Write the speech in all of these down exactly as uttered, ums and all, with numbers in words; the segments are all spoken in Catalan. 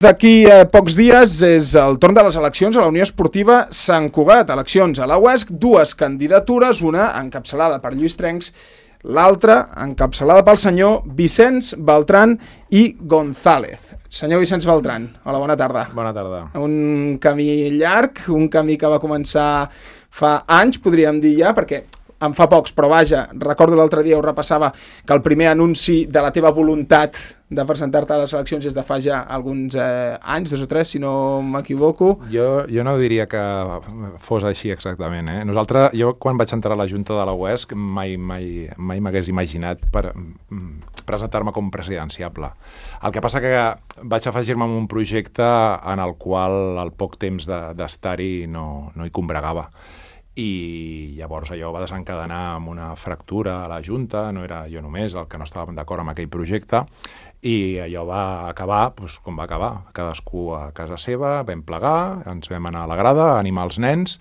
D'aquí a pocs dies és el torn de les eleccions a la Unió Esportiva Sant Cugat. Eleccions a la U E S C, dues candidatures, una encapçalada per Lluís Trencs, l'altra encapçalada pel senyor Vicenç Beltran i González. Senyor Vicenç Beltran, hola, bona tarda. Bona tarda. Un camí llarg, un camí que va començar fa anys, podríem dir ja, perquè en fa pocs, però vaja, recordo l'altre dia, ho repassava, que el primer anunci de la teva voluntat de presentar-te a les eleccions és de fa ja alguns eh, anys, dos o tres, si no m'equivoco. Jo, jo no diria que fos així exactament. Eh? Nosaltres, jo quan vaig entrar a la Junta de la U E S C mai mai, mai m'hagués imaginat per presentar-me com presidenciable. El que passa que vaig afegir-me en un projecte en el qual el poc temps d'estar-hi de, no, no hi combregava. I llavors allò va desencadenar amb una fractura a la Junta, no era jo només el que no estàvem d'acord amb aquell projecte, i allò va acabar doncs, com va acabar, cadascú a casa seva, vam plegar, ens vam anar a la grada a animar els nens,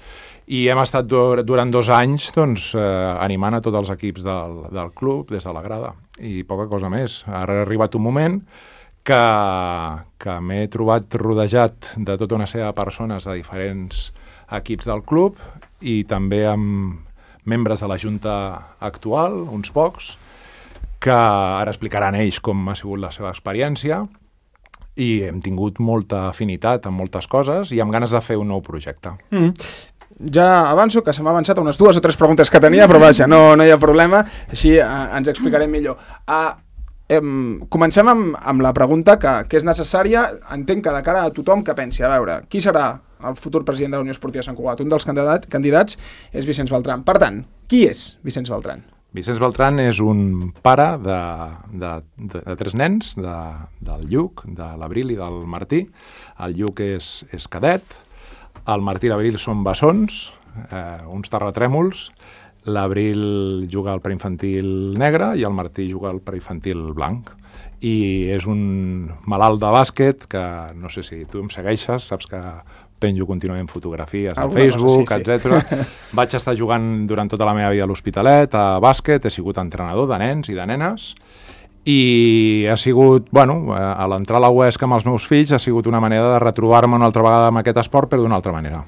i hem estat dur durant dos anys doncs, eh, animant a tots els equips del, del club des de la grada, i poca cosa més. Ara ha arribat un moment que, que m'he trobat rodejat de tota una sèrie de persones de diferents equips del club i també amb membres de la Junta actual, uns pocs, que ara explicaran ells com ha sigut la seva experiència, i hem tingut molta afinitat en moltes coses i amb ganes de fer un nou projecte. Mm. Ja avanço que se m'ha avançat unes dues o tres preguntes que tenia, però vaja, no, no hi ha problema, així eh, ens explicarem millor. Uh, eh, comencem amb, amb la pregunta que, que és necessària, entenc que de cara a tothom que pensi, a veure, qui serà el futur president de la Unió Esportiva Sant Cugat? Un dels candidat, candidats és Vicenç Beltran. Per tant, qui és Vicenç Beltran? Vicenç Beltran és un pare de, de, de, de tres nens, de, del Lluc, de l'Abril i del Martí. El Lluc és, és cadet, el Martí i l'Abril són bessons, eh, uns terratrèmols, l'Abril juga al preinfantil negre i el Martí juga al preinfantil blanc. I és un malalt de bàsquet que, no sé si tu em segueixes, saps que penjo contínuament fotografies a Facebook, sí, sí. etcètera. Vaig estar jugant durant tota la meva vida a l'Hospitalet, a bàsquet, he sigut entrenador de nens i de nenes, i ha sigut, bueno, a l'entrar a la U E S C amb els meus fills ha sigut una manera de retrobar-me una altra vegada amb aquest esport, però d'una altra manera.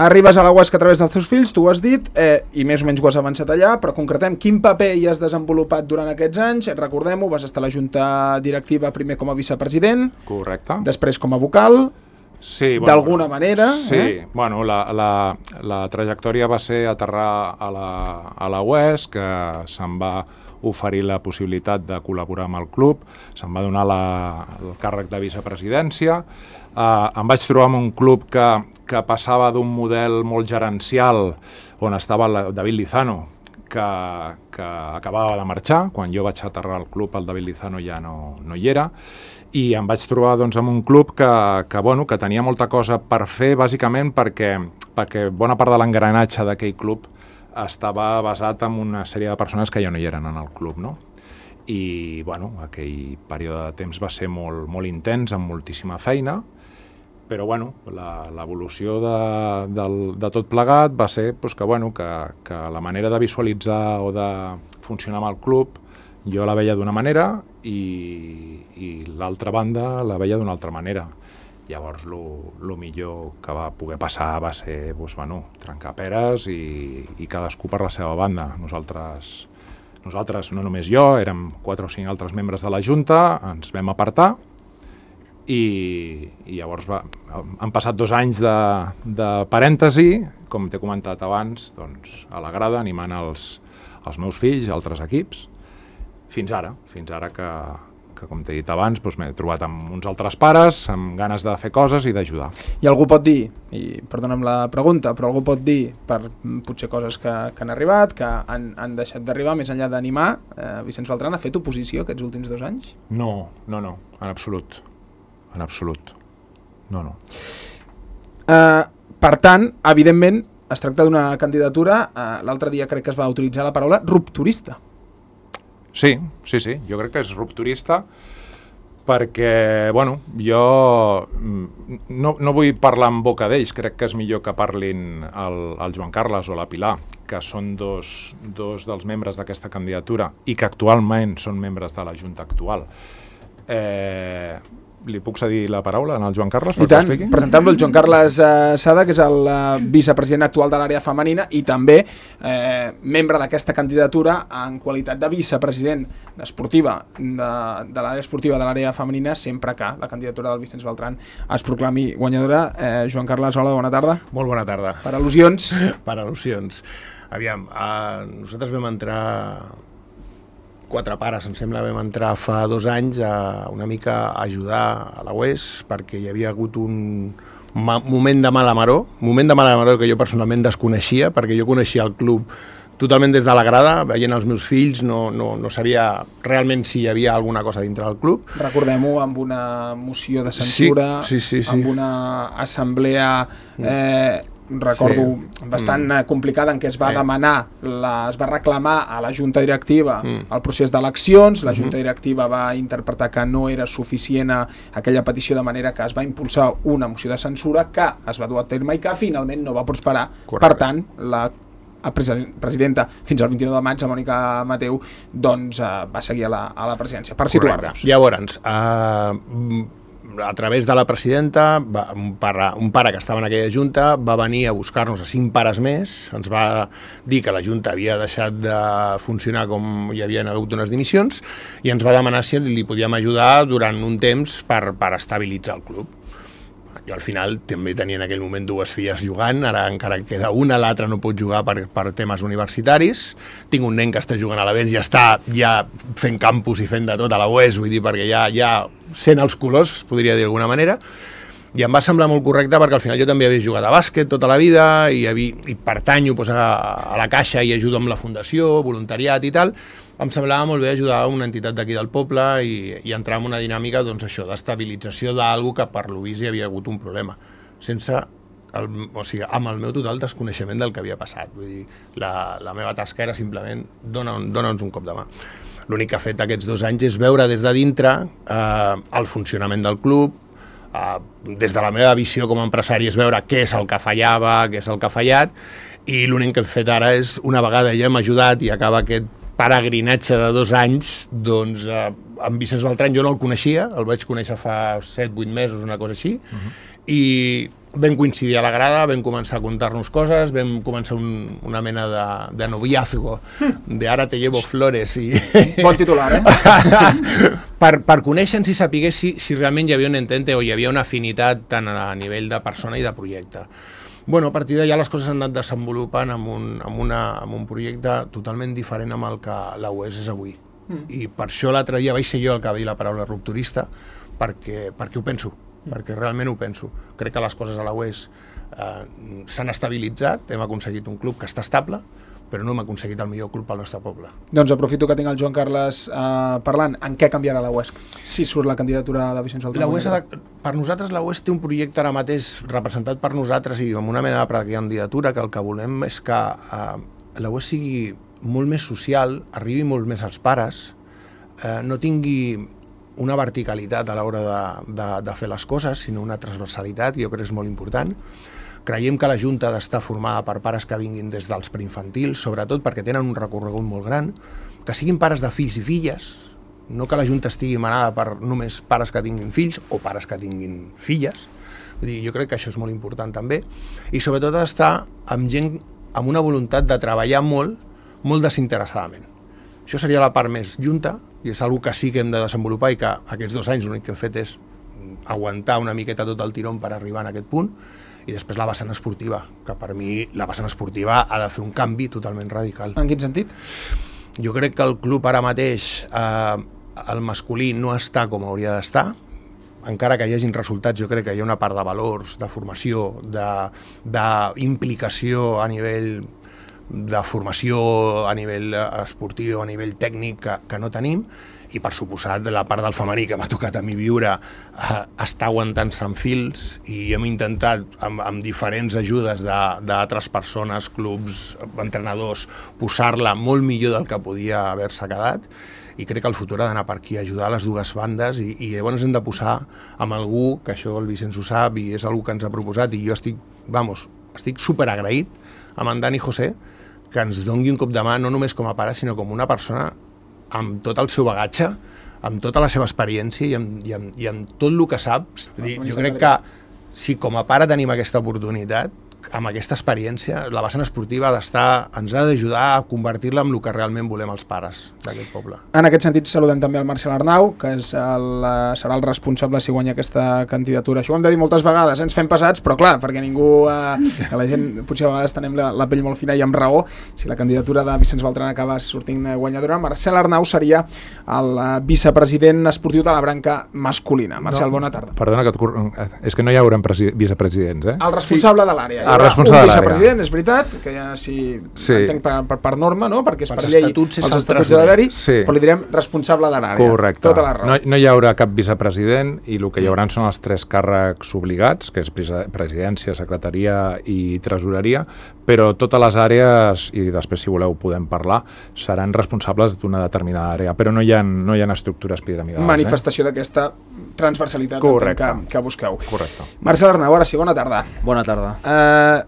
Arribes a la U E S C a través dels teus fills, tu ho has dit, eh, i més o menys ho has avançat allà, però concretem quin paper hi has desenvolupat durant aquests anys. Recordem-ho, vas estar a la Junta Directiva primer com a vicepresident, correcte, després com a vocal, sí, bueno, d'alguna manera. Sí, eh? bueno, la, la, la trajectòria va ser aterrar a la, a la U E S C, que se'm va oferir la possibilitat de col·laborar amb el club, se'm va donar la, el càrrec de vicepresidència, uh, em vaig trobar amb un club que, que passava d'un model molt gerencial on estava la, David Lizano, que, que acabava de marxar. Quan jo vaig aterrar al club el David Lizano ja no, no hi era, i em vaig trobar doncs, amb un club que, que, bueno, que tenia molta cosa per fer, bàsicament perquè, perquè bona part de l'engranatge d'aquell club estava basat en una sèrie de persones que ja no hi eren en el club, no? I, bueno, aquell període de temps va ser molt, molt intens, amb moltíssima feina, però, bueno, l'evolució de, de, de tot plegat va ser pues, que, bueno, que, que la manera de visualitzar o de funcionar amb el club jo la veia d'una manera i, i l'altra banda la veia d'una altra manera. Llavors, el millor que va poder passar va ser doncs, bueno, trencar peres i, i cadascú per la seva banda. Nosaltres, nosaltres, no només jo, érem quatre o cinc altres membres de la Junta, ens vam apartar i, i llavors va, han passat dos anys de, de parèntesi, com t'he comentat abans, doncs, a la grada, animant els, els meus fills, altres equips, fins ara, fins ara que... que com t'he dit abans, doncs m'he trobat amb uns altres pares, amb ganes de fer coses i d'ajudar. I algú pot dir, i perdona'm la pregunta, però algú pot dir, per potser coses que, que han arribat, que han, han deixat d'arribar, més enllà d'animar, eh, Vicenç Beltran ha fet oposició aquests últims dos anys? No, no, no, en absolut. En absolut. No, no. Eh, per tant, evidentment, es tracta d'una candidatura, eh, l'altre dia crec que es va utilitzar la paraula rupturista. Sí, sí, sí, jo crec que és rupturista perquè, bueno, jo no, no vull parlar en boca d'ells, crec que és millor que parlin el, el Joan Carles o la Pilar, que són dos, dos dels membres d'aquesta candidatura i que actualment són membres de la Junta actual. Eh, li puc cedir la paraula al Joan Carles? I tant, presentar-lo el Joan Carles eh, Sada, que és el eh, vicepresident actual de l'àrea femenina i també eh, membre d'aquesta candidatura en qualitat de vicepresident esportiva de, de l'àrea esportiva de l'àrea femenina, sempre que la candidatura del Vicenç Beltran es proclami guanyadora. Eh, Joan Carles, hola, bona tarda. Molt bona tarda. Per al·lusions. Per al·lusions. Aviam, eh, nosaltres vam entrar... quatre pares, em sembla, vam entrar fa dos anys a una mica a ajudar a la U E S perquè hi havia hagut un moment de mala maror, moment de mala maror que jo personalment desconeixia, perquè jo coneixia el club totalment des de la grada, veient els meus fills, no, no, no sabia realment si hi havia alguna cosa dintre del club. Recordem-ho, amb una moció de censura, sí, sí, sí, sí. amb una assemblea... Eh, recordo sí. bastant mm. complicada en què es va sí. demanar, la, es va reclamar a la Junta Directiva mm. el procés d'eleccions, la Junta Directiva va interpretar que no era suficient aquella petició, de manera que es va impulsar una moció de censura que es va dur a terme i que finalment no va prosperar. Correcte. Per tant, la presidenta fins al vint-i-nou de maig, la Mònica Mateu, doncs eh, va seguir a la, a la presidència, per situar-nos. Llavors, uh, a través de la presidenta, va, un, pare, un pare que estava en aquella junta va venir a buscar-nos a cinc pares més, ens va dir que la junta havia deixat de funcionar com hi havien hagut unes dimissions i ens va demanar si li podíem ajudar durant un temps per, per estabilitzar el club. Jo al final també tenia en aquell moment dues filles jugant, ara encara queda una, l'altra no pot jugar per, per temes universitaris. Tinc un nen que està jugant a l'Avenç i està ja fent campus i fent de tot a la U E S, vull dir, perquè ja, ja sent els colors, podria dir d'alguna manera. I em va semblar molt correcte perquè al final jo també havia jugat a bàsquet tota la vida i, havia, i pertanyo doncs, a, a la Caixa i ajudo amb la fundació, voluntariat i tal. Em semblava molt bé ajudar a una entitat d'aquí del poble i, i entrar en una dinàmica doncs, això d'estabilització d'algú que per lo vist hi havia hagut un problema, sense el, o sigui, amb el meu total desconeixement del que havia passat. Vull dir, la, la meva tasca era simplement dona'ns dona un cop de mà. L'únic que ha fet aquests dos anys és veure des de dintre eh, el funcionament del club, eh, des de la meva visió com a empresari és veure què és el que fallava, què és el que ha fallat, i l'únic que hem fet ara és, una vegada ja hem ajudat i acaba aquest peregrinatge de dos anys, doncs eh, en Vicenç Beltran jo no el coneixia, el vaig conèixer fa set vuit mesos, una cosa així, uh -huh. i vam coincidir a la grada, vam començar a contar-nos coses, vam començar un, una mena de, de noviazgo, de ara te llevo flores i... Bon titular, eh? per, per conèixer-nos i saber si, si realment hi havia un entente o hi havia una afinitat tant a nivell de persona i de projecte. Bueno, a partir d'allà les coses han anat desenvolupant amb un, amb, una, amb un projecte totalment diferent amb el que la U E S és avui. Mm. I per això l'altre dia vaig ser jo el que va dir la paraula rupturista, perquè, perquè ho penso, mm. perquè realment ho penso. Crec que les coses a la U E S eh, s'han estabilitzat, hem aconseguit un club que està estable, però no hem aconseguit el millor club pel nostre poble. Doncs aprofito que tinc el Joan Carles eh, parlant. En què canviarà la U E S si surt la candidatura de Vicenç Beltran? La U E S de, per nosaltres la U E S té un projecte ara mateix representat per nosaltres i amb una mena de candidatura que el que volem és que eh, la U E S sigui molt més social, arribi molt més als pares, eh, no tingui una verticalitat a l'hora de, de, de fer les coses, sinó una transversalitat, jo crec que és molt important. Creiem que la Junta ha d'estar formada per pares que vinguin des dels preinfantils, sobretot perquè tenen un recorregut molt gran, que siguin pares de fills i filles, no que la Junta estigui manada per només pares que tinguin fills o pares que tinguin filles. Vull dir, jo crec que això és molt important també. I sobretot ha d'estar amb gent amb una voluntat de treballar molt, molt desinteressadament. Això seria la part més Junta, i és una que sí que hem de desenvolupar i que aquests dos anys l'únic que hem fet és aguantar una miqueta tot el tirón per arribar a aquest punt. I després la vessant esportiva, que per mi la vessant esportiva ha de fer un canvi totalment radical. En quin sentit? Jo crec que el club ara mateix, eh, el masculí no està com hauria d'estar, encara que hi hagin resultats, jo crec que hi ha una part de valors, de formació, d'implicació a nivell de formació, a nivell esportiu, a nivell tècnic, que, que no tenim, i per suposat la part del femení que m'ha tocat a mi viure eh, està aguantant-se en fils i hem intentat amb, amb diferents ajudes d'altres persones, clubs, entrenadors, posar-la molt millor del que podia haver-se quedat i crec que el futur ha d'anar per aquí, ajudar les dues bandes i, i llavors hem de posar amb algú, que això el Vicenç ho sap i és algú que ens ha proposat i jo estic, vamos, estic superagraït amb en Dani José que ens doni un cop de mà no només com a pare sinó com una persona amb tot el seu bagatge amb tota la seva experiència i amb, i amb, i amb tot el que saps. Dir, jo crec que si com a pare tenim aquesta oportunitat, amb aquesta experiència, la vessant esportiva ha d'estar, ens ha d'ajudar a convertir-la en el que realment volem els pares d'aquest poble. En aquest sentit, saludem també el Marcel Arnau, que és el, serà el responsable si guanya aquesta candidatura. Això ho hem de dir moltes vegades, ens fem pesats, però clar, perquè ningú, eh, que la gent potser a vegades tenim la, la pell molt fina i amb raó, si la candidatura de Vicenç Beltran acaba sortint guanyadora, Marcel Arnau seria el vicepresident esportiu de la branca masculina. Marcel, no, bona tarda. Perdona, que et... és que no hi haurà vicepresidents, eh? El responsable sí. de l'àrea. El responsable un vicepresident, és veritat, que ja si sí. entenc per, per, per norma, no? Perquè és per, per llei, els estatuts de d'haver-hi, sí. però li direm responsable de l'àrea. Correcte. Tota la raó. No, no hi haurà cap vicepresident i el que hi haurà són els tres càrrecs obligats, que és presidència, secretaria i tresoreria, però totes les àrees, i després si voleu podem parlar, seran responsables d'una determinada àrea, però no hi ha, no hi ha estructures piramidals. Manifestació eh? d'aquesta transversalitat que, que busqueu. Correcte. Marcel Arnau, ara sí, bona tarda. Bona tarda. Uh,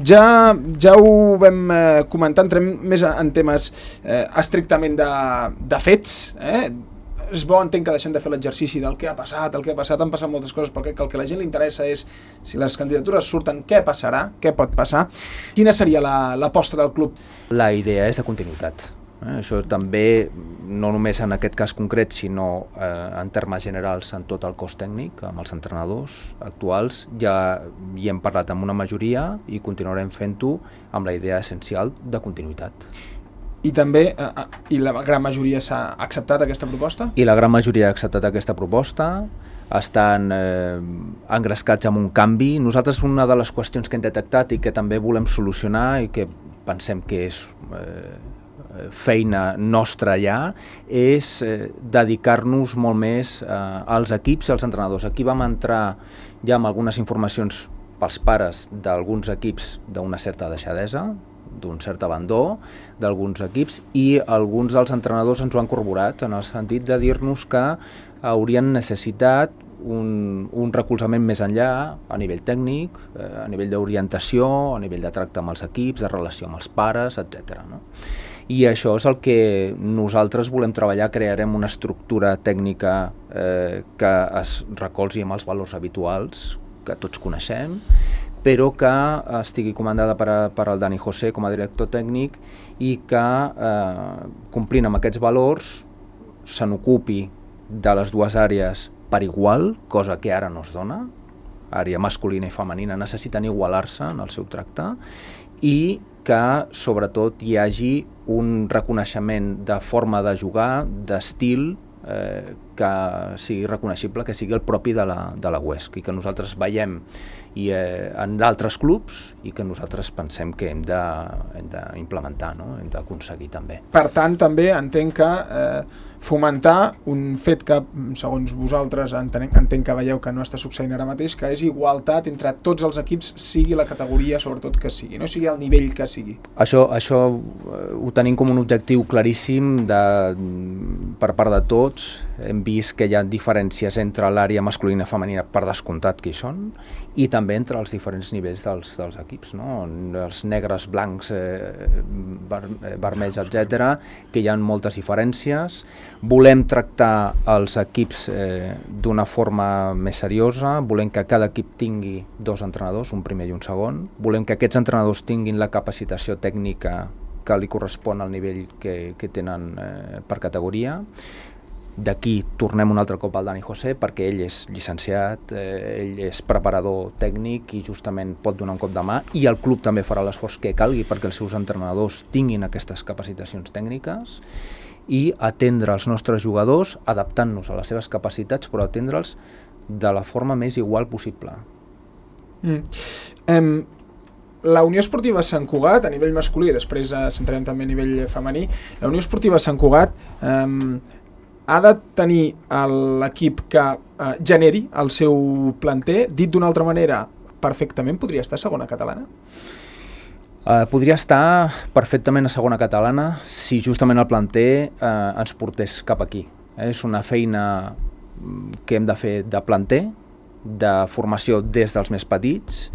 ja, ja ho vam eh, comentar, entrem més en temes eh, estrictament de, de fets, eh? És bo, entenc que deixem de fer l'exercici del què ha passat, el que ha passat, han passat moltes coses, perquè el que a la gent li interessa és si les candidatures surten, què passarà, què pot passar, quina seria l'aposta la, del club? La idea és de continuïtat. Eh, això també, no només en aquest cas concret, sinó eh, en termes generals en tot el cos tècnic, amb els entrenadors actuals, ja hi hem parlat amb una majoria i continuarem fent-ho amb la idea essencial de continuïtat. I també, eh, i la gran majoria s'ha acceptat aquesta proposta? I la gran majoria ha acceptat aquesta proposta, estan eh, engrescats amb un canvi. Nosaltres una de les qüestions que hem detectat i que també volem solucionar i que pensem que és eh, feina nostra ja, és eh, dedicar-nos molt més eh, als equips i als entrenadors. Aquí vam entrar ja amb algunes informacions pels pares d'alguns equips d'una certa deixadesa, d'un cert abandó d'alguns equips, i alguns dels entrenadors ens ho han corroborat en el sentit de dir-nos que haurien necessitat un, un recolzament més enllà a nivell tècnic, eh, a nivell d'orientació, a nivell de tracte amb els equips, de relació amb els pares, etcètera, no? I això és el que nosaltres volem treballar. Crearem una estructura tècnica eh, que es recolzi amb els valors habituals que tots coneixem, però que estigui comandada per, a, per al Dani José com a director tècnic i que, eh, complint amb aquests valors, se n'ocupi de les dues àrees per igual, cosa que ara no es dona. Àrea masculina i femenina necessiten igualar-se en el seu tracte, i que sobretot hi hagi un reconeixement de forma de jugar, d'estil, eh, que sigui reconeixible, que sigui el propi de la, de la U E S C i que nosaltres veiem i, eh, en d'altres clubs i que nosaltres pensem que hem d'implementar, no? Hem d'aconseguir també. Per tant, també entenc que eh, fomentar un fet que, segons vosaltres, entenc, entenc que veieu que no està succeint ara mateix, que és igualtat entre tots els equips, sigui la categoria sobretot que sigui, no sigui el nivell que sigui. Això, això eh, ho tenim com un objectiu claríssim de, per part de tots. Hem vist que hi ha diferències entre l'àrea masculina i femenina, per descomptat que hi són, i també entre els diferents nivells dels, dels equips, no? Els negres, blancs, eh, ver, vermells, etcètera, que hi ha moltes diferències. Volem tractar els equips eh, d'una forma més seriosa, volem que cada equip tingui dos entrenadors, un primer i un segon, volem que aquests entrenadors tinguin la capacitació tècnica que li correspon al nivell que, que tenen eh, per categoria. D'aquí tornem un altre cop al Dani José, perquè ell és llicenciat, eh, ell és preparador tècnic i justament pot donar un cop de mà, i el club també farà l'esforç que calgui perquè els seus entrenadors tinguin aquestes capacitacions tècniques, i atendre els nostres jugadors adaptant-nos a les seves capacitats, però atendre'ls de la forma més igual possible. Mm. Um, la Unió Esportiva Sant Cugat, a nivell masculí, després eh, centrarem també a nivell femení, la Unió Esportiva Sant Cugat um, ha de tenir l'equip que eh, generi el seu planter. Dit d'una altra manera, perfectament podria estar a segona catalana? Uh, podria estar perfectament a segona catalana si justament el planter uh, ens portés cap aquí. Eh? És una feina que hem de fer de planter, de formació des dels més petits,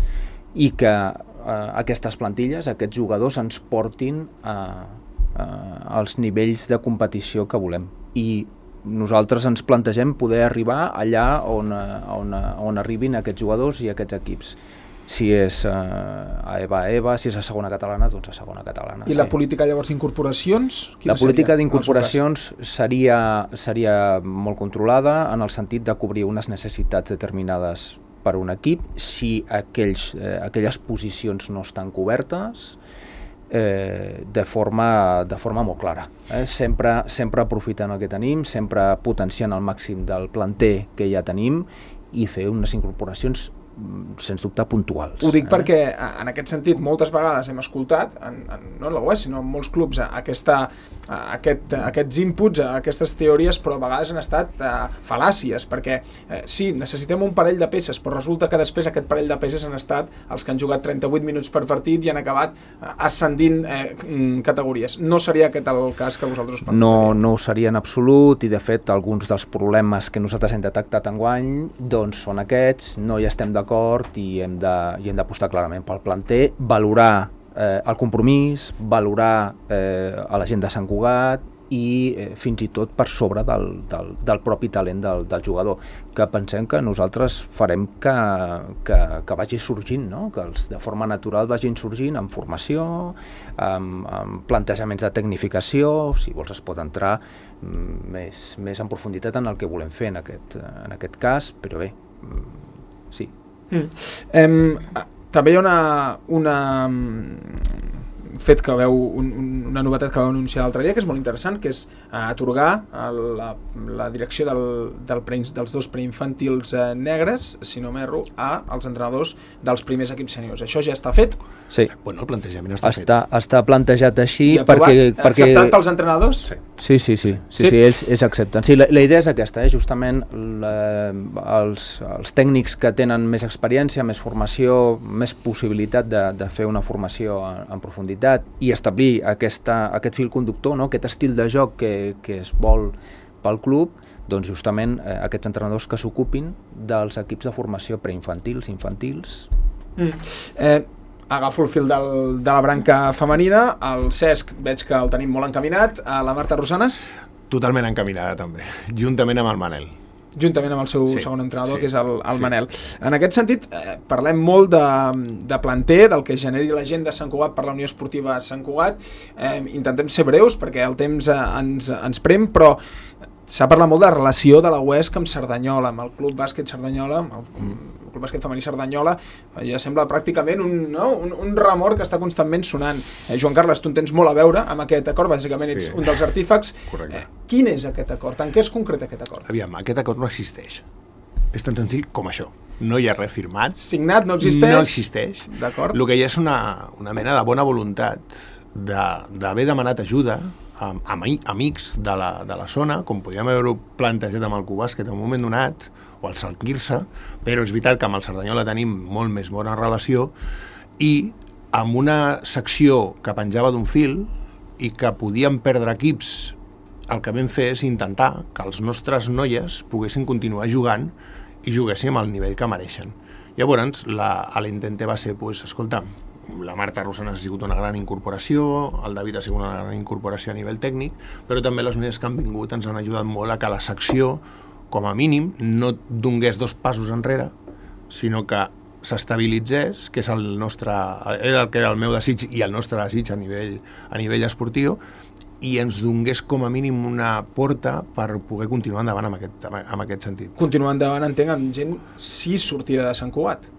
i que uh, aquestes plantilles, aquests jugadors ens portin uh, uh, als nivells de competició que volem. I nosaltres ens plantegem poder arribar allà on, on, on arribin aquests jugadors i aquests equips. Si és eh, a EVA a EVA, si és a segona catalana, doncs a segona catalana. I sí. La política llavors d'incorporacions? La política d'incorporacions seria, seria molt controlada en el sentit de cobrir unes necessitats determinades per un equip. Si aquells, eh, aquelles posicions no estan cobertes, eh, de, forma, de forma molt clara. Eh? Sempre, sempre aprofitant el que tenim, sempre potenciant al màxim del planter que ja tenim i fer unes incorporacions sens dubte puntuals. Ho dic eh? perquè en aquest sentit moltes vegades hem escoltat, en, en, no en la U E S, sinó en molts clubs, aquesta, aquest, aquests inputs, aquestes teories, però a vegades han estat uh, fal·làcies, perquè eh, sí, necessitem un parell de peces, però resulta que després aquest parell de peces han estat els que han jugat trenta-vuit minuts per partit i han acabat uh, ascendint eh, categories. No seria aquest el cas que vosaltres us plantejaríeu? No, no ho seria en absolut, i de fet alguns dels problemes que nosaltres hem detectat enguany doncs són aquests, no hi estem d'acord i hem de, i hem d'apostar clarament pel planter, valorar eh, el compromís, valorar eh, a la gent de Sant Cugat i eh, fins i tot per sobre del, del, del propi talent del, del jugador, que pensem que nosaltres farem que, que, que vagi sorgint, no? Que els de forma natural vagin sorgint en formació, amb, amb plantejaments de tecnificació, si vols es pot entrar més, més en profunditat en el que volem fer en aquest, en aquest cas, però bé, sí. Mm. Eh, també hi ha una, una fet que veu, un, una novetat que vau anunciar l'altre dia, que és molt interessant, que és eh, atorgar la, la direcció del, del pre, dels dos preinfantils eh, negres, si no m'erro, als entrenadors dels primers equips seniors. Això ja està fet? Sí. Bueno, el plantejament està, està fet. Està plantejat així. I aprovat? Perquè, perquè... Acceptat pels entrenadors? Sí, sí, sí, sí, sí, sí? sí ells, ells accepten. Sí, la, la idea és aquesta, eh? Justament la, els, els tècnics que tenen més experiència, més formació, més possibilitat de, de fer una formació en, en profunditat i establir aquesta, aquest fil conductor, no? Aquest estil de joc que, que es vol pel club, doncs justament eh, aquests entrenadors que s'ocupin dels equips de formació preinfantils, infantils. Mm. Eh, agafo el fil del, de la branca femenina, el Cesc veig que el tenim molt encaminat, a la Marta Rosanes? Totalment encaminada també, juntament amb el Manel. Juntament amb el seu sí, segon entrenador, sí, que és el, el sí. Manel. En aquest sentit, eh, parlem molt de, de planter, del que generi la gent de Sant Cugat per la Unió Esportiva Sant Cugat. Eh, intentem ser breus perquè el temps eh, ens, ens prem, però s'ha parlat molt de la relació de la U E S C amb Cerdanyola, amb el Club Bàsquet Cerdanyola, amb el, el Club Bàsquet Femení Cerdanyola. Ja sembla pràcticament un, no? un, un remor que està constantment sonant. Eh, Joan Carles, tu en tens molt a veure amb aquest acord, bàsicament ets sí. un dels artífecs. Correcte. Eh, quin és aquest acord? En què es concreta aquest acord? Aviam, aquest acord no existeix. És tan senzill com això. No hi ha res firmat. Signat, no existeix? No existeix. D'acord. El que hi ha és una, una mena de bona voluntat d'haver de, demanat ajuda amb, amb amics de la, de la zona, com podíem haver-ho plantejat amb el Cubàsquet en un moment donat, o el Sant Quirze, però és veritat que amb el Cerdanyola tenim molt més bona relació, i amb una secció que penjava d'un fil i que podíem perdre equips, el que vam fer és intentar que els nostres noies poguessin continuar jugant i juguéssim al nivell que mereixen. Llavors, l'intente va ser, pues, escolta, la Marta Rosanes ha sigut una gran incorporació, el David ha sigut una gran incorporació a nivell tècnic, però també les noies que han vingut ens han ajudat molt a que la secció, com a mínim, no donés dos passos enrere, sinó que s'estabilitzés, que és el nostre, era el que era el meu desig i el nostre desig a nivell, a nivell esportiu, i ens donés com a mínim una porta per poder continuar endavant en aquest, en aquest sentit. Continuar endavant, entenc, amb gent sí sortida de Sant Cugat.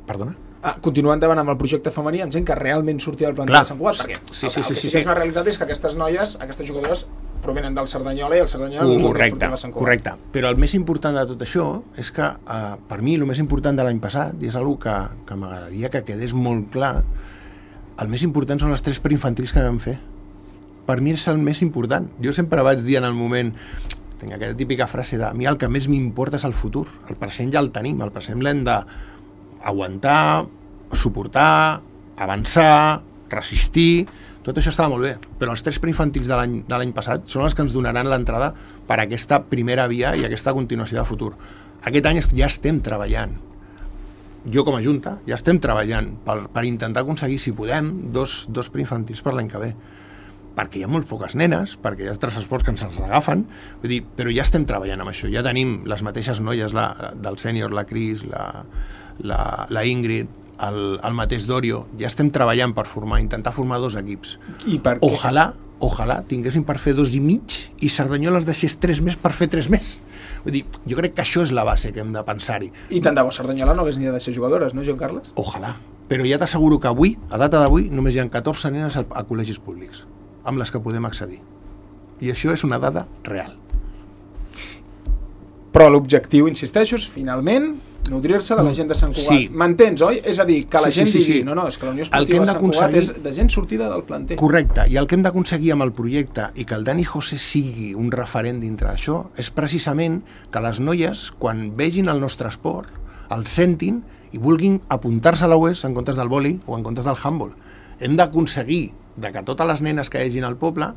Perdona? Ah, continuar endavant amb el projecte femení, amb gent que realment sortia del planter Clar. de Sant Cugat, perquè sí, sí, el, el sí, que sí, sí, que sí. és una realitat és que aquestes noies, aquestes jugadores, provenen del Cerdanyola i el Cerdanyola Uh, no correcte, és Sant Cugat. correcte. Però el més important de tot això és que, uh, per mi, el més important de l'any passat, i és una que, que m'agradaria que quedés molt clar, el més important són les tres preinfantils que vam fer. Per mi és el més important. Jo sempre vaig dir en el moment, tinc aquesta típica frase de, a mi el que més m'importa és el futur, el present ja el tenim, el present l'hem d'aguantar, suportar, avançar, resistir, tot això estava molt bé, però els tres preinfantils de l'any de l'any passat són els que ens donaran l'entrada per a aquesta primera via i aquesta continuació de futur. Aquest any ja estem treballant, jo com a Junta, ja estem treballant per, per intentar aconseguir, si podem, dos, dos preinfantils per l'any que ve. perquè hi ha molt poques nenes, perquè hi ha altres esports que ens els agafen, vull dir, però ja estem treballant amb això, ja tenim les mateixes noies la, del sènior, la Cris, la, la, la Ingrid, el, el mateix Dorio, ja estem treballant per formar, intentar formar dos equips. I per ojalà, ojalà tinguéssim per fer dos i mig i Cerdanyola els deixés tres més per fer tres més. Vull dir, jo crec que això és la base que hem de pensar-hi. I tant de bo Cerdanyola no hagués ni de ser jugadores, no, Joan Carles? Ojalà. Però ja t'asseguro que avui, a data d'avui, només hi ha catorze nenes a, a col·legis públics, amb les que podem accedir. I això és una dada real. Però l'objectiu, insisteixo, és finalment nodrir-se de la gent de Sant Cugat. Sí. M'entens, oi? És a dir, que la Sí, gent sí, sí, digui sí. no, no, és que la Unió Esportiva de Sant Cugat és de gent sortida del planter. Correcte, i el que hem d'aconseguir amb el projecte i que el Dani José sigui un referent dintre d'això és precisament que les noies, quan vegin el nostre esport, el sentin i vulguin apuntar-se a la U E S en comptes del vòlei o en comptes del handball. Hem d'aconseguir de que totes les nenes que hi hagin al poble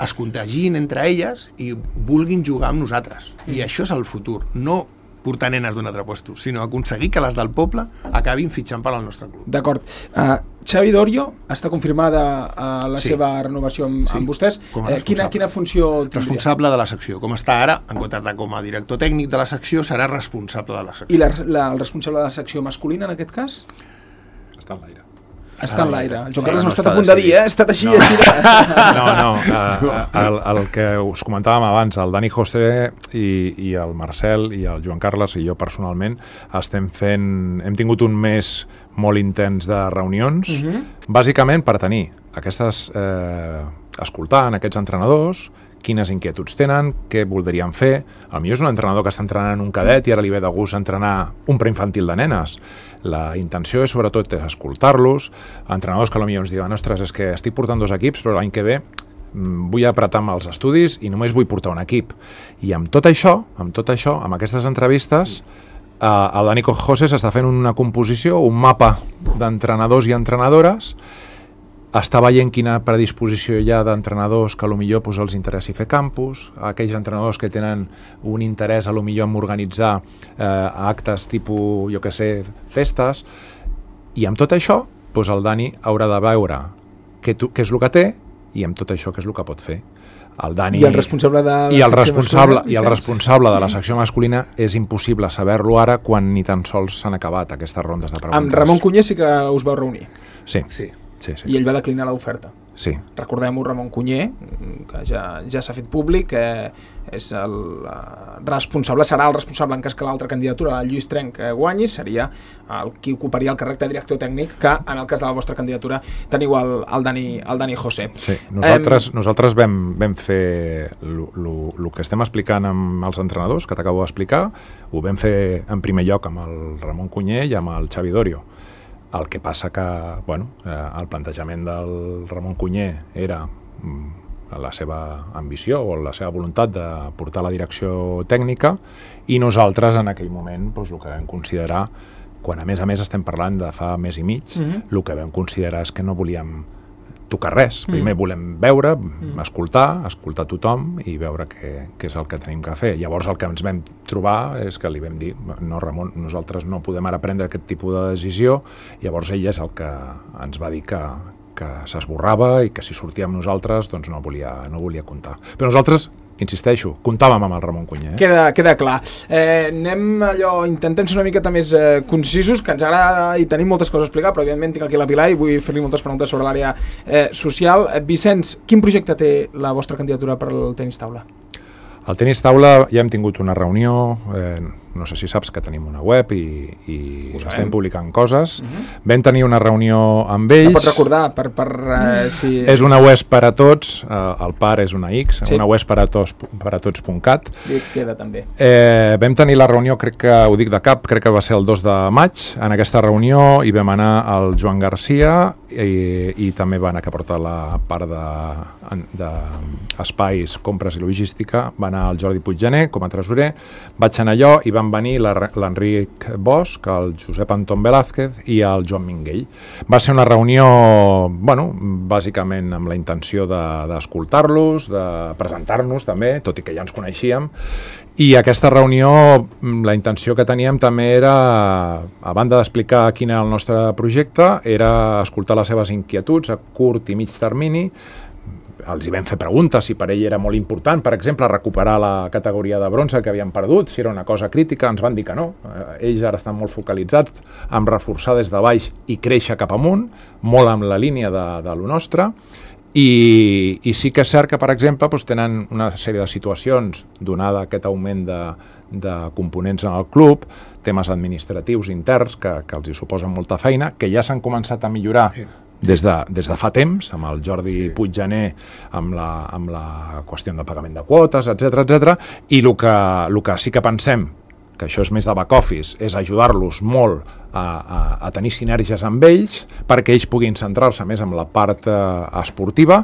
es contagin entre elles i vulguin jugar amb nosaltres. I això és el futur, no portar nenes d'un altre puesto, sinó aconseguir que les del poble acabin fitxant per al nostre club. D'acord. Uh, Xavi Dorio està confirmada uh, la Sí. seva renovació amb, Sí. amb vostès. Com a Eh, quina, responsable. quina funció tindria? Responsable de la secció. Com està ara, en comptes de com a director tècnic de la secció, serà responsable de la secció. I la, la, el responsable de la secció masculina, en aquest cas? Està en l'aire. Està en l'aire. El Joan Sí, Carles no m'ha estat està a punt de dir, decidit. eh? Ha estat així, No. així de... No, no, uh, el, el que us comentàvem abans, el Dani José i, i el Marcel i el Joan Carles i jo personalment estem fent, hem tingut un mes molt intens de reunions, uh -huh. bàsicament per tenir aquestes, eh, escoltant aquests entrenadors, quines inquietuds tenen, què voldrien fer. A millor és un entrenador que està entrenant un cadet i ara li ve de gust entrenar un preinfantil de nenes. La intenció és, sobretot, és escoltar-los. Entrenadors que potser ens diuen, ostres, és que estic portant dos equips, però l'any que ve mm, vull apretar amb els estudis i només vull portar un equip. I amb tot això, amb tot això, amb aquestes entrevistes, eh, el Dani José s'està fent una composició, un mapa d'entrenadors i entrenadores, està veient quina predisposició hi ha d'entrenadors que potser pues, els interessi fer campus, aquells entrenadors que tenen un interès potser en organitzar eh, actes tipus, jo que sé, festes, i amb tot això pues, el Dani haurà de veure què, tu, què és el que té i amb tot això què és el que pot fer. El Dani, I el responsable de la i el secció responsable, masculina, i el Vicenç? responsable de la secció masculina és impossible saber-lo ara quan ni tan sols s'han acabat aquestes rondes de preguntes. Amb Ramon Cunyer sí que us vau reunir. Sí, Sí. sí, sí. I ell va declinar l'oferta. sí. Recordem-ho, Ramon Cunyer, que ja, ja s'ha fet públic, eh, és el eh, responsable, serà el responsable en cas que l'altra candidatura, el Lluís Trenc, eh, guanyi, seria el qui ocuparia el càrrec de director tècnic, que en el cas de la vostra candidatura teniu el, el, Dani, el Dani José. Sí, nosaltres, eh, nosaltres vam, vam fer el que estem explicant amb els entrenadors, que t'acabo d'explicar, ho vam fer en primer lloc amb el Ramon Cunyer i amb el Xavi Dorio. El que passa que, bueno, eh, el plantejament del Ramon Cunyer era mm, la seva ambició o la seva voluntat de portar la direcció tècnica i nosaltres en aquell moment doncs, el que vam considerar, quan a més a més estem parlant de fa mes i mig, Mhm. el que vam considerar és que no volíem tocar res. Primer volem veure, escoltar, escoltar tothom i veure què, què és el que tenim que fer. Llavors el que ens vam trobar és que li vam dir, no Ramon, nosaltres no podem ara prendre aquest tipus de decisió. Llavors ell és el que ens va dir que, que s'esborrava i que si sortia amb nosaltres doncs no volia, no volia comptar. Però nosaltres, insisteixo, comptàvem amb el Ramon Cunyer. Eh? Queda, queda clar. Eh, anem allò, intentem ser una miqueta més eh, concisos, que ens agrada i tenim moltes coses a explicar, però evidentment tinc aquí la Pilar i vull fer-li moltes preguntes sobre l'àrea eh, social. Eh, Vicenç, quin projecte té la vostra candidatura per al tenis taula? Al tenis taula ja hem tingut una reunió, eh, no sé si saps que tenim una web i, i Ho sabem. estem publicant coses. Uh-huh. Vam tenir una reunió amb ells. La pots recordar per, per eh, si... És una web per a tots, eh, el par és una X, Sí. una web per a tots, per a tots punt cat. I queda també. Eh, vam tenir la reunió, crec que, ho dic de cap, crec que va ser el dos de maig. En aquesta reunió hi vam anar el Joan Garcia i, i també va anar que porta la part d'espais, de, de compres i logística, va anar el Jordi Puiggener com a tresorer, vaig anar jo i van venir la- l'Enric Bosch, el Josep Anton Velázquez i el Joan Minguell. Va ser una reunió, bueno, bàsicament amb la intenció de- d'escoltar-los, de, de presentar-nos també, tot i que ja ens coneixíem, i aquesta reunió, la intenció que teníem també era, a banda d'explicar quin era el nostre projecte, era escoltar les seves inquietuds a curt i mig termini, els hi vam fer preguntes si per ell era molt important, per exemple, recuperar la categoria de bronze que havien perdut, si era una cosa crítica, ens van dir que no. Ells ara estan molt focalitzats en reforçar des de baix i créixer cap amunt, molt amb la línia de, de lo nostre. I, i sí que és cert que, per exemple, doncs, tenen una sèrie de situacions, donada aquest augment de, de components en el club, temes administratius interns que, que els hi suposen molta feina, que ja s'han començat a millorar des de, des de fa temps, amb el Jordi sí. Puiggener, amb la, amb la qüestió de pagament de quotes, etcètera, etcètera, i el que, el que sí que pensem, que això és més de back office, és ajudar-los molt a, a, a tenir sinergies amb ells perquè ells puguin centrar-se més en la part eh, esportiva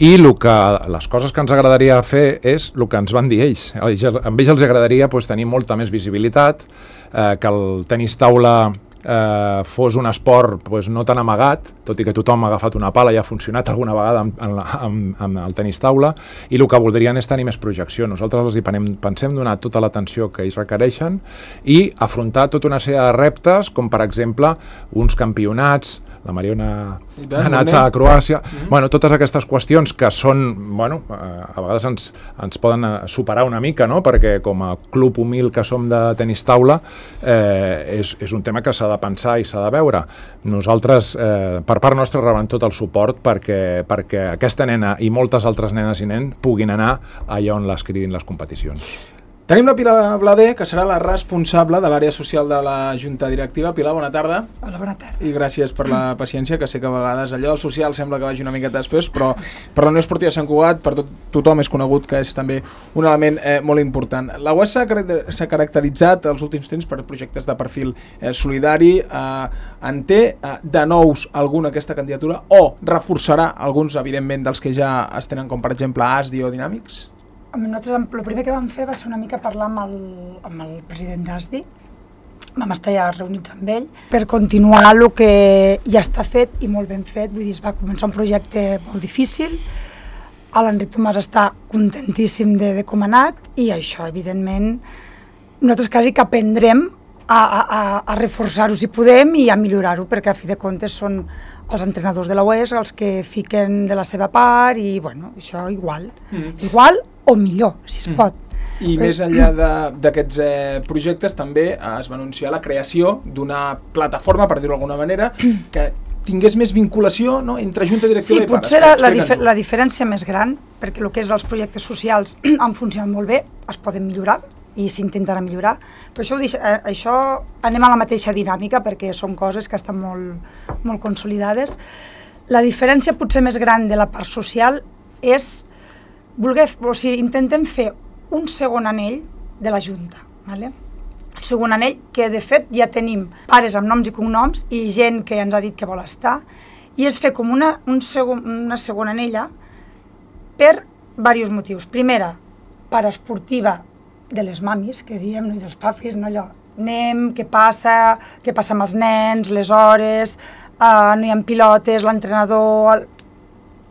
i el que, les coses que ens agradaria fer és el que ens van dir ells. ells amb ells els agradaria pues, tenir molta més visibilitat, eh, que el tenis taula eh, fos un esport pues, no tan amagat, tot i que tothom ha agafat una pala i ha funcionat alguna vegada amb, amb, amb, amb el tenis taula, i el que voldrien és tenir més projecció. Nosaltres els hi penem, pensem donar tota l'atenció que ells requereixen i afrontar tota una sèrie de reptes, com per exemple uns campionats, la Mariona ha anat a Croàcia, mm-hmm. bueno, totes aquestes qüestions que són, bueno, a vegades ens, ens poden superar una mica, no? Perquè com a club humil que som de tenis taula, eh, és, és un tema que s'ha de pensar i s'ha de veure. Nosaltres, eh, per part nostra, rebem tot el suport perquè, perquè aquesta nena i moltes altres nenes i nens puguin anar allà on les cridin les competicions. Tenim la Pilar Blader, que serà la responsable de l'àrea social de la Junta Directiva. Pilar, bona tarda. Hola, bona tarda. I gràcies per la paciència, que sé que a vegades allò del social sembla que vagi una miqueta després, però per la Unió Esportiva Sant Cugat, per tot, tothom és conegut que és també un element eh, molt important. La U E S s'ha caracteritzat els últims temps per projectes de perfil eh, solidari. Eh, en té eh, de nous alguna aquesta candidatura o reforçarà alguns, evidentment, dels que ja es tenen, com per exemple A S D I o Dinàmics? Nosaltres el primer que vam fer va ser una mica parlar amb el, amb el president d'A S D I, vam estar ja reunits amb ell, per continuar el que ja està fet i molt ben fet. Vull dir, es va començar un projecte molt difícil, l'Enric Tomàs està contentíssim de, de com ha anat i això, evidentment, nosaltres quasi que aprendrem a, a, a reforçar-ho si podem i a millorar-ho, perquè a fi de comptes són els entrenadors de la U E S els que fiquen de la seva part i, bueno, això igual, mm. igual o millor, si es mm. pot. I Però... més enllà d'aquests eh, projectes també eh, es va anunciar la creació d'una plataforma, per dir-ho d'alguna manera, que tingués més vinculació, no?, entre Junta Directiva sí, i pares. Sí, potser la, la, dif la diferència més gran, perquè el que és els projectes socials han funcionat molt bé, es poden millorar i s'intentarà millorar, però això, eh, això anem a la mateixa dinàmica perquè són coses que estan molt, molt consolidades. La diferència potser més gran de la part social és voler, o sigui, intentem fer un segon anell de la Junta, ¿vale? Un segon anell que de fet ja tenim pares amb noms i cognoms i gent que ens ha dit que vol estar, i és fer com una, un segon, una segona anella per diversos motius. Primera, part esportiva de les mamis, que diem, no, i dels papis, no, allò, anem, què passa, què passa amb els nens, les hores, uh, no hi ha pilotes, l'entrenador, el...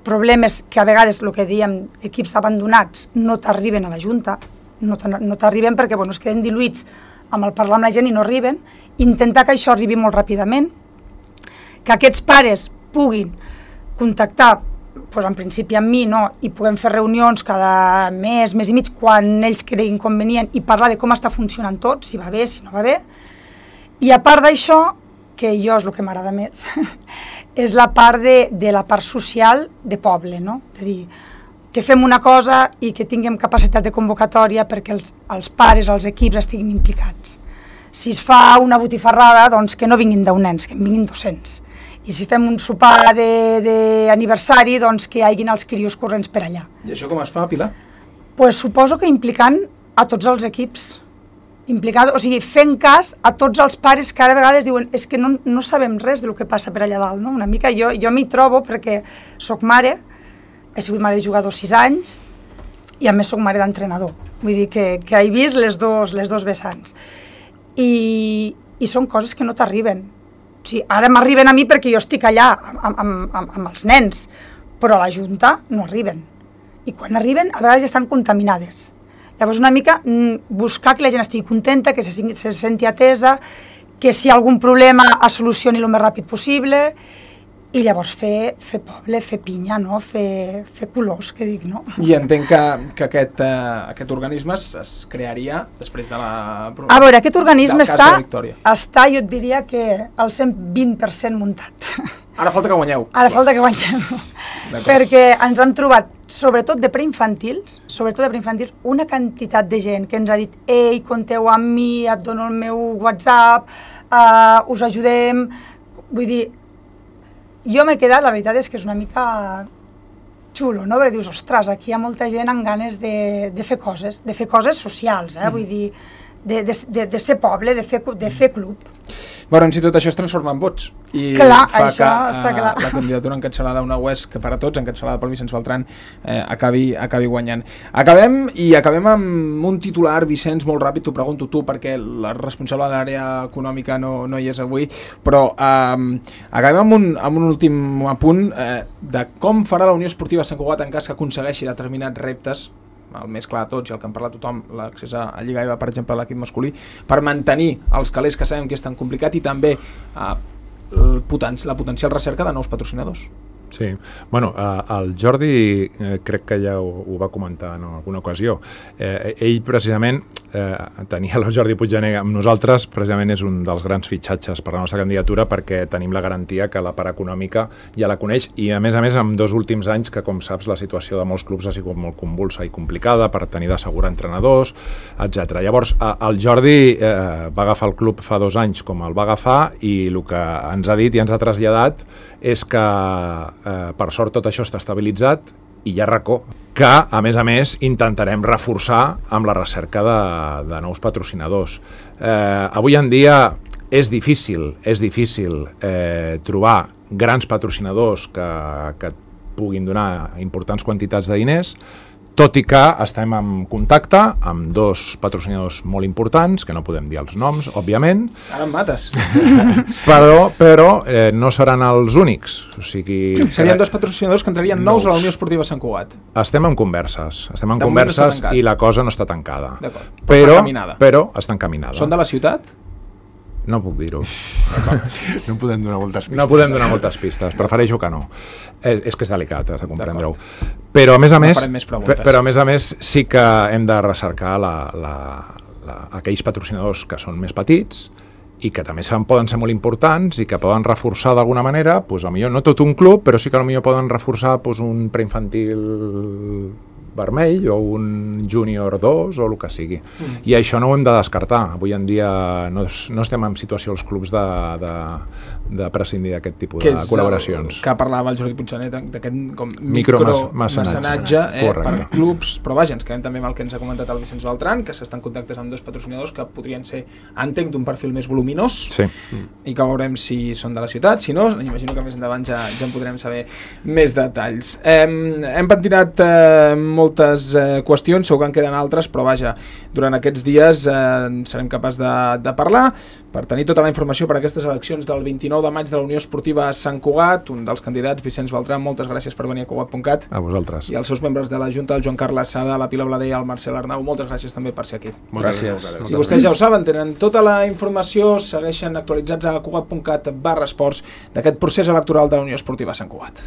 problemes que a vegades, el que diem, equips abandonats no t'arriben a la Junta, no t'arriben perquè, bueno, es queden diluïts amb el parlar amb la gent i no arriben, intentar que això arribi molt ràpidament, que aquests pares puguin contactar, pues, en principi amb mi, no? I puguem fer reunions cada mes, mes i mig, quan ells creguin convenient i parlar de com està funcionant tot, si va bé, si no va bé. I a part d'això, que jo és el que m'agrada més, és la part de, de la part social de poble, no? És a dir, que fem una cosa i que tinguem capacitat de convocatòria perquè els, els pares, els equips estiguin implicats. Si es fa una botifarrada, doncs que no vinguin deu nens, que en vinguin dos-cents. I si fem un sopar d'aniversari, doncs que hi hagin els crios corrents per allà. I això com es fa, Pilar? Pues suposo que implicant a tots els equips. Implicant, o sigui, fent cas a tots els pares que ara a vegades diuen és que no, no sabem res del que passa per allà dalt, no? Una mica jo, jo m'hi trobo perquè soc mare, he sigut mare de jugador sis anys i a més soc mare d'entrenador. Vull dir que, que he vist les dos, les dos vessants. I, i són coses que no t'arriben. O sigui, ara m'arriben a mi perquè jo estic allà amb, amb, amb, amb els nens, però a la Junta no arriben. I quan arriben, a vegades estan contaminades. Llavors una mica buscar que la gent estigui contenta, que se, se senti atesa, que si hi ha algun problema es solucioni el més ràpid possible i llavors fer, fer poble, fer pinya, no? fer, fer colors, que dic, no? I entenc que, que aquest, uh, aquest organisme es, es crearia després de la... A veure, aquest organisme del cas està, de Victòria. està, jo et diria que al cent vint per cent muntat. Ara falta que guanyeu. Ara falta que guanyem. Perquè ens han trobat, sobretot de preinfantils, sobretot de preinfantils, una quantitat de gent que ens ha dit ei, compteu amb mi, et dono el meu WhatsApp, uh, us ajudem... Vull dir, jo m'he quedat, la veritat és que és una mica xulo, no? Perquè dius, ostres, aquí hi ha molta gent amb ganes de, de fer coses, de fer coses socials, eh? Mm. Vull dir, de, de, de, de ser poble, de fer, de fer club. Veurem si tot això es transforma en vots i clar, fa això que està clar. uh, la candidatura encapçalada d'una U E S que per a tots, encapçalada pel Vicenç Beltran, eh, acabi, acabi guanyant. Acabem i acabem amb un titular, Vicenç, molt ràpid, t'ho pregunto tu perquè la responsable de l'àrea econòmica no, no hi és avui, però eh, acabem amb un, amb un últim apunt eh, de com farà la Unió Esportiva Sant Cugat en cas que aconsegueixi determinats reptes, el més clar de tots i el que en parla tothom, l'accés a Lliga E V A, per exemple, a l'equip masculí, per mantenir els calés que sabem que és tan complicat i també eh, el poten la potencial recerca de nous patrocinadors. Sí, bueno, eh, el Jordi eh, crec que ja ho, ho va comentar en alguna ocasió. Eh, ell precisament eh, tenia el Jordi Puiggener amb nosaltres, precisament és un dels grans fitxatges per a la nostra candidatura perquè tenim la garantia que la part econòmica ja la coneix i a més a més en dos últims anys que com saps la situació de molts clubs ha sigut molt convulsa i complicada per tenir d'assegurar entrenadors, etcètera. Llavors eh, el Jordi eh, va agafar el club fa dos anys com el va agafar i el que ens ha dit i ens ha traslladat és que eh, per sort tot això està estabilitzat i hi ha racó, que a més a més intentarem reforçar amb la recerca de, de nous patrocinadors. Eh, avui en dia és difícil, és difícil eh, trobar grans patrocinadors que, que puguin donar importants quantitats de diners, tot i que estem en contacte amb dos patrocinadors molt importants, que no podem dir els noms, òbviament. Ara em mates. Però, però eh, no seran els únics. O sigui, serien dos patrocinadors que entrarien nous, nous a la Unió Esportiva Sant Cugat. Estem en converses, estem en de converses i la cosa no està tancada. Però, però, està encaminada. però està encaminada. Són de la ciutat? No puc dir-ho. No podem donar moltes pistes. No podem donar moltes pistes, prefereixo que no. És, és que és delicat, has de comprendre-ho. Però a més a no més, més però a més a més sí que hem de recercar la, la, la, aquells patrocinadors que són més petits i que també poden ser molt importants i que poden reforçar d'alguna manera, doncs, potser no tot un club, però sí que potser poden reforçar doncs, un preinfantil vermell o un júnior dos o el que sigui. Mm. I això no ho hem de descartar. Avui en dia no, no estem en situació els clubs de, de, de prescindir d'aquest tipus que de col·laboracions. Que parlava el Jordi Puiggener d'aquest micromecenatge eh, per clubs, però vaja, ens quedem també amb el que ens ha comentat el Vicenç Beltran, que s'estan en contactes amb dos patrocinadors que podrien ser, entenc, d'un perfil més voluminós, sí. I que veurem si són de la ciutat, si no, imagino que més endavant ja, ja en podrem saber més detalls. Eh, hem pentinat eh, moltes eh, qüestions, segur que en queden altres, però vaja, durant aquests dies eh, serem capaços de, de parlar per tenir tota la informació per a aquestes eleccions del vint-i-nou de maig de la Unió Esportiva Sant Cugat. Un dels candidats, Vicenç Beltran, moltes gràcies per venir a Cugat punt cat. A vosaltres. I als seus membres de la Junta, el Joan Carles Sada, la Pilar Blader i el Marcel Arnau, moltes gràcies també per ser aquí. Moltes gràcies. gràcies. I vostès ja ho saben, tenen tota la informació, segueixen actualitzats a Cugat punt cat barra esports d'aquest procés electoral de la Unió Esportiva Sant Cugat.